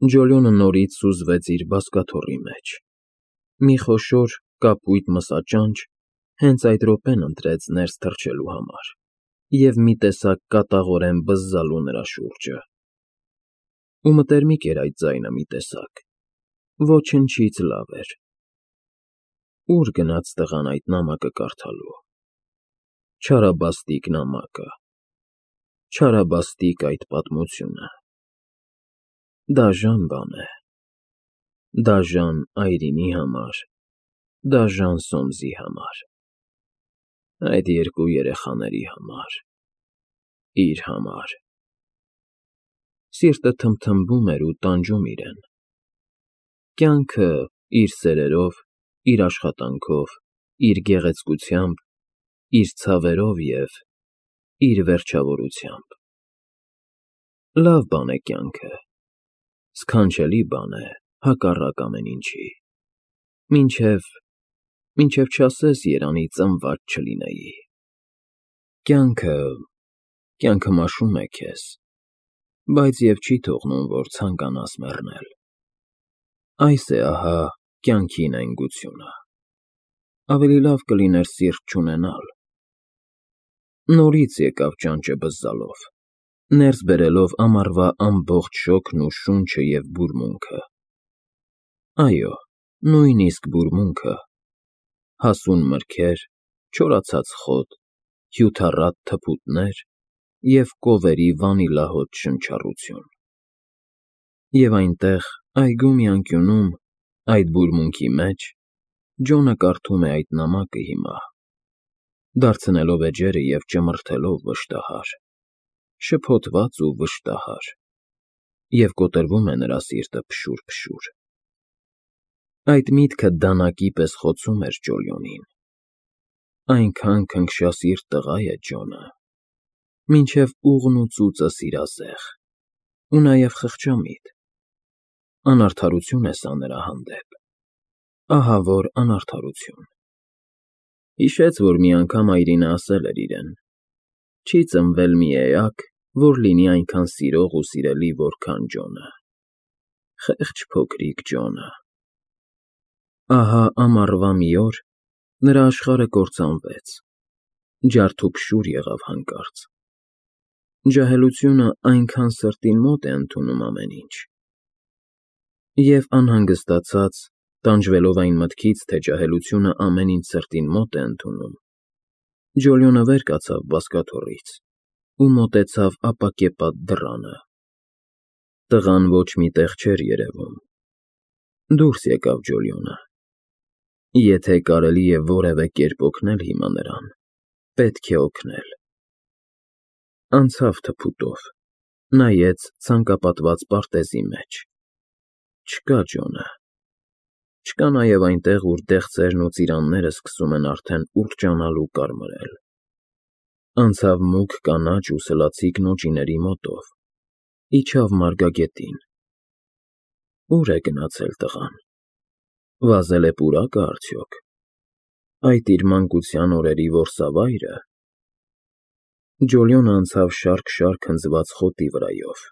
Ջոլյոնը նորից սուզվեց իր բազկաթոռի մեջ։ Մի խոշոր, կապույտ մսաճանճ հենց այդ րոպեն ընտրեց ներս թռչելու համար և մի տեսակ կատաղորեն բզզալու նրա շուրջը։ Ու մտերմիկ էր այդ ձայնը մի տեսակ, ոչնչից լավ էր։ Ո՞ւր գնաց տղան այդ նամակը կարդալու։ Չարաբաստիկ նամակը, չարաբաստիկ այդ պատմությունը։ Դաժան բան է, դաժան այրինի համար, դաժան Սոմսի համար, այդ երկու երեխաների համար, իր համար։ Սիրտը թմթմբում էր ու տանջում իրեն։ Կյանքը իր սերերով, իր աշխատանքով, իր գեղեցկությամբ, իր ցավերով և իր վերջավորությամբ։ Լավ բան է կյանքը, սքանչելի բան է, հակառակ ամեն ինչի, մինչև չասես երանի ծնված չլինեի։ Կյանքը մաշում է քեզ, բայց և չի թողնում, որ ցանկանաս մեռնել։ Այս է ահա կյանքի նայնգությունը։ Ավելի լավ կլիներ սիրտ չունենալ։ Նորից եկավ ճանճը բզզալով, ներս բերելով ամառվա ամբողջ շոգն ու շունչը և բուրմունքը։ Այո, նույնիսկ բուրմունքը, հասուն մրգեր, չորացած խոտ, հյութառատ թփուտներ և կովերի վանիլահոտ շնչառություն։ Եվ այնտեղ, այգու մի անկյունում, այդ բուրմունքի մեջ, Ջոնը կարդում է այդ նամակը հիմա, դարձնելով էջերը և ճմրթելով վշտահար, շփոթված ու վշտահար, և կոտրվում է նրա սիրտը փշուր։ Այդ միտքը դանակի պես խոցում էր Ջոլիոնին։ Այնքան քնքշասիրտ տղա է Ջոնը, մինչև ուղն ու ծուծը սիրազեղ, ու նաև խղճամիտ։ Անարդարություն է սա նրա հանդեպ, ահավոր անարդարություն։ Հիշեց, որ մի անգամ այրինը ասել էր իրեն. «Չի ծնվել մի էակ, որ լինի այնքան սիրող ու սիրելի, որքան Ջոնը»։ Խեղճ փոքրիկ Ջոնը։ Ահա ամառվա մի օր նրա աշխարհը կործանվեց, ջարդուփշուր եղավ հանկարծ։ Ջահելությունը այնքան սրտին մոտ է ընդունում ամեն ինչ։ Եվ անհանգստացած, տանջվելով այն մտքից, թե ջահելությունը ամեն ինչ սրտին մոտ է ընդունում, Ջոլիոնը վեր կացավ բազկաթոռից ու մոտեցավ ապակեպատ դռանը։ Տղան ոչ մի տեղ չէր երևում։ Դուրս եկավ Ջոլիոնը։ Եթե կարելի է որևէ կերպ օգնել հիմա նրան, պետք է օգնել։ Անցավ թփուտով, նայեց ցանկապատված պարտեզի մեջ։ Չկա Ջոնը։ Չկա նաև այնտեղ, ուր դեղձերն ու ծիրանները սկսում են արդեն ուռճանալ ու կարմրել։ Անցավ մուգ կանաչ ու սլացիկ նոճիների մոտով, իջավ մարգագետին։ Ո՞ւր է գնացել տղան։ Վազել է պուրակը արդյոք։ Այդ իր մանկության օրերի որսավա՞յրը։ Ջոլիոնը անցավ շարք հնձված խոտի վրայով։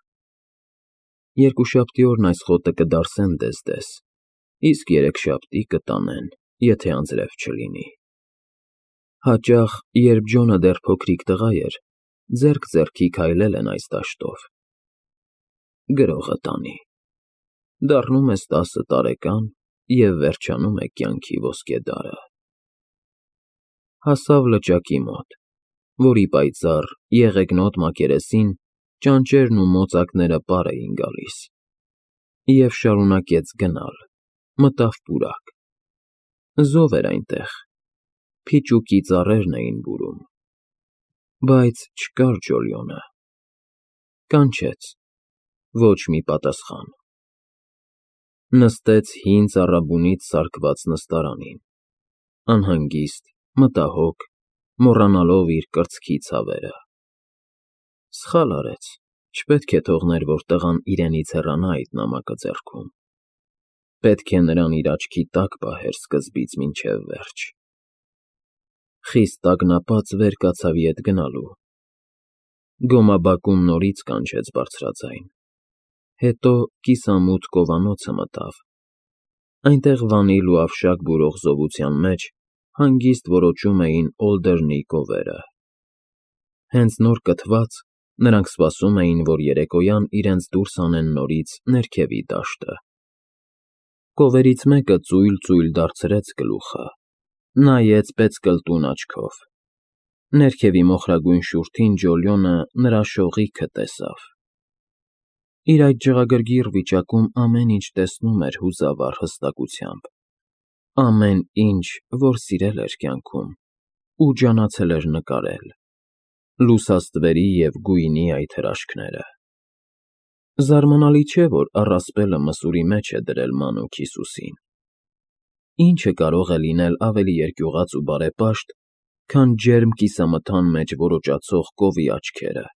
Երկուշաբթի օրն այս խոտը կդարսեն դես, իսկ երեքշաբթի կտանեն, եթե անձրև չլինի։ Հաճախ, երբ Ջոնը դեռ փոքրիկ տղա էր, ձեռք ձեռքի քայլել են այս դաշտով։ Գրողը տանի։ Դառնում ես 10 տարեկան և վերջանում է կյանքի ոսկե դարը։ Հասավ լճակի մոտ, որի պայծառ, եղեգնոտ մակերեսին ճանճերն ու մոծակները պար էին գալիս, և շարունակեց գնալ, մտավ պուրակ։ Զով էր այնտեղ, փիճուկի ծառերն էին բուրում։ Բայց չկար Ջոլիոնը։ Կանչեց, ոչ մի պատասխան։ Նստեց հին ծառաբունից սարքված նստարանին, անհանգիստ, մտահոգ, մոռանալով իր կրծքի ցավերը։ Սխալ արեց, չպետք է թողներ, որ տղան իրենից հեռանա այդ նամակը ձեռքում։ Պետք է նրան իր աչքի տակ պահեր սկզբից մինչև վերջ։ Խիստ տագնապած վեր կացավ ետ գնալու։ Գոմաբակում նորից կանչեց բարձրաձայն։ Հետո կիսամութ կովանոցը մտավ։ Այնտեղ վանիլ ու ավշակ բուրող զովության մեջ հանգիստ որոճում էին Օլդերնի կովերը։ Հենց նոր կթված, նրանք սպասում էին, որ երեկոյան իրենց դուրս անեն նորից ներքևի դաշտը։ Կովերից մեկը ծույլ-ծույլ դարձրեց գլուխը, նայեց պեծկլտուն աչքով։ Ներքևի մոխրագույն շուրթին Ջոլիոնը նրա շողիքը տեսավ։ Իր այդ ջղագրգիռ վիճակում ամեն ինչ տեսնում էր հուզավառ հստակությամբ, ամեն ինչ, որ սիրել էր կյանքում ու ջանացել էր նկարել, լուսաստվերի և գույնի այդ հրաշքները։ Զարմանալի չէ, որ առասպելը մսուրի մեջ է դրել մանուկ Հիսուսին։ Ինչը կարող է լինել ավելի երկյուղած ու բարեպաշտ, քան ջերմ կիսամթան մեջ որոճացող կովի աչքերը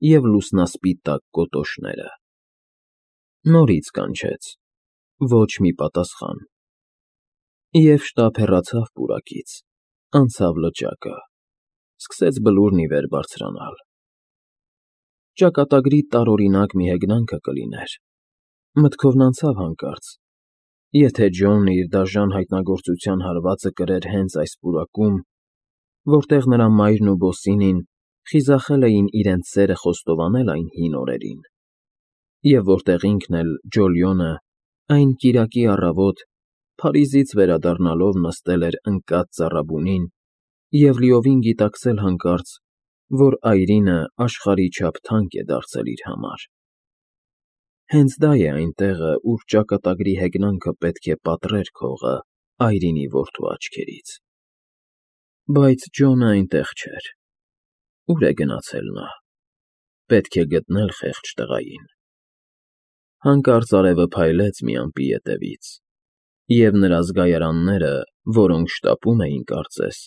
և լուսնասպիտակ կոտոշները։ Նորից կանչեց, ոչ մի պատասխան։ Եվ շտապ հեռացավ պուրակից, անցավ լճակը, սկսեց բլուրն ի վեր բարձրանալ։ Ճակատագրի տարօրինակ մի հեգնանքը կլիներ։ Մտքովն անցավ հանկարծ. եթե Ջոնն իր դաժան հայտնագործության հարվածը կրեր հենց այս պուրակում, որտեղ նրա մայրն ու Բոսինին խիզախել էին իրենց սերը խոստովանել այն հին օրերին, և որտեղ ինքն էլ, Ջոլիոնը, այն կիրակի առավոտ Փարիզից վերադառնալով նստել էր ընկած ծառաբունին և լիովին գիտակցել հանկարծ, որ այրինը աշխարհի չափ թանկ է դարձել իր համար։ Հենց դա է այն տեղը, ուր ճակատագրի հեգնանքը պետք է պատռեր քողը այրինի որդու աչքերից։ Բայց Ջոնը այնտեղ չէր։ Ուր է գնացել նա։ Պետք է գտնել խեղճ տղային։ Հանկարծ արևը փայլեց մի ամպի ետևից, և նրա զգայարանները, որոնք շտապում էին, կարծես,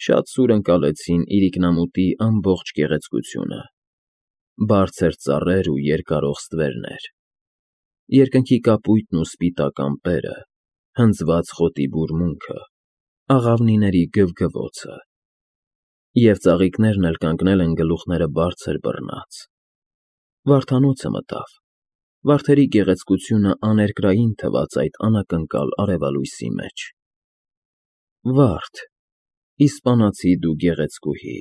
շատ սուր ընկալեցին իրիկնամուտի ամբողջ գեղեցկությունը. բարձր ծառեր ու երկարող ստվերներ, երկնքի կապույտն ու սպիտակ ամպերը, հնձված խոտի բուրմունքը, աղավնիների գվգվոցը, և ծաղիկներն էլ կանգնել են գլուխները բարձր բռնած։ Վարդանոցը մտավ, վարդերի գեղեցկությունը աներկրային թվաց այդ անակնկալ արևալույսի մեջ։ Վարդ, իսպանացի դու գեղեցկուհի,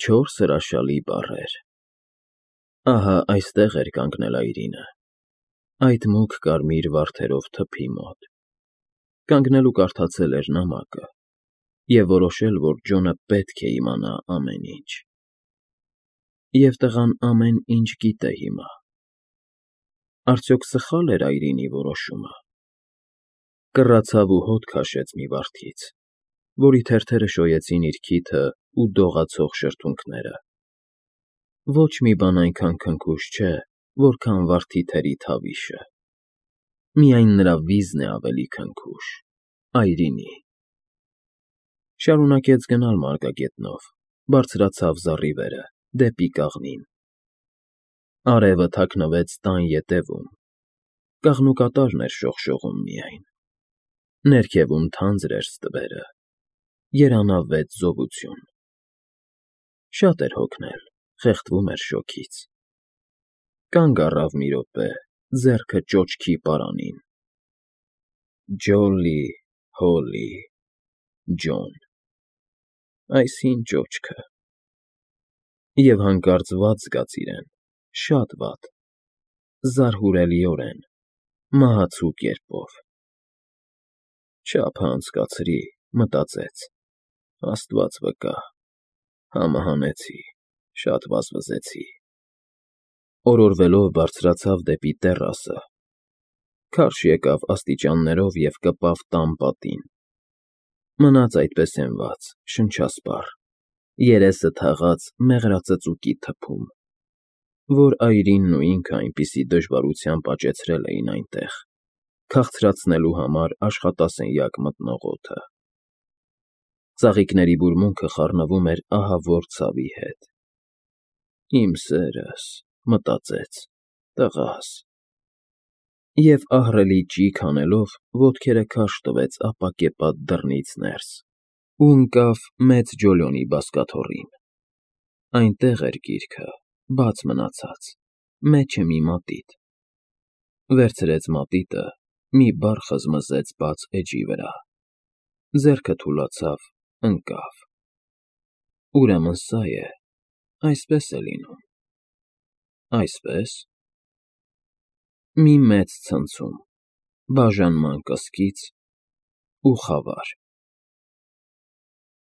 4 հրաշալի բառեր։ Ահա այստեղ էր կանգնել այրինը, այդ մուգ կարմիր վարդերով թփի մոտ, կանգնել ու կարդացել էր նամակը և որոշել, որ Ջոնը պետք է իմանա ամեն ինչ։ Եվ տղան ամեն ինչ գիտե հիմա։ Արդյոք սխա՞լ էր այրինի որոշումը։ Կռացավ ու հոտ քաշեց մի վարդից, որի թերթերը շոյեցին իր քիթը ու դողացող շրթունքները։ Ոչ մի բան այնքան քնքուշ չէ, որքան վարդի թերի թավիշը։ Միայն նրա վիզն է ավելի քնքուշ՝ այրինի։ Շարունակեց գնալ մարգագետնով, բարձրացավ զառիվերը, դեպի կաղնին։ Արևը թաքնվեց տան ետևում, կաղնուկատարն էր շողշողում միայն։ Ներքևում թանձր էր ստվերը, երանավետ զովություն։ Շատ էր հոգնել, խեղդվում էր շոգից։ Կանգ առավ մի րոպե, ձեռքը ճոճքի պարանին։ Ջոլի, Հոլի, Ջոն, այս հին ճոճքը։ Եվ հանկարծ վատ զգաց իրեն, շատ վատ, զարհուրելիորեն, մահացու կերպով։ Չափը անցկացրի, մտածեց, Աստված վկա, համը հանեցի, շատ վազվզեցի։ Օրորվելով բարձրացավ դեպի տեռասը, քարշ եկավ աստիճաններով և կպավ տան պատին։ Մնաց այդպես հենված, շնչասպառ, երեսը թաղած մեղրածծուկի թփում, որ այրինն ու ինքը այնպիսի դժվարությամբ աճեցրել էին այնտեղ, քաղցրացնելու համար աշխատասենյակ մտնող օդը։ Ծաղիկների բուրմունքը խառնվում էր ահավոր ցավի հետ։ Իմ սերս, մտածեց, տղաս։ Եվ ահռելի ճիգ հանելով ոտքերը քարշ տվեց ապակեպատ դռնից ներս ու ընկավ մեծ Ջոլիոնի բազկաթոռին։ Այնտեղ էր գիրքը, բաց մնացած, մեջը մի մատիտ, Վերցրեց մատիտը, մի բառ խզմզեց բաց էջի վրա, ձեռքը թուլացավ, ընկավ։ Ուրեմն սա է, այսպես է լինում։ Այսպե՞ս։ Մի մեծ ցնցում, բաժանման կսկիծ ու խավար։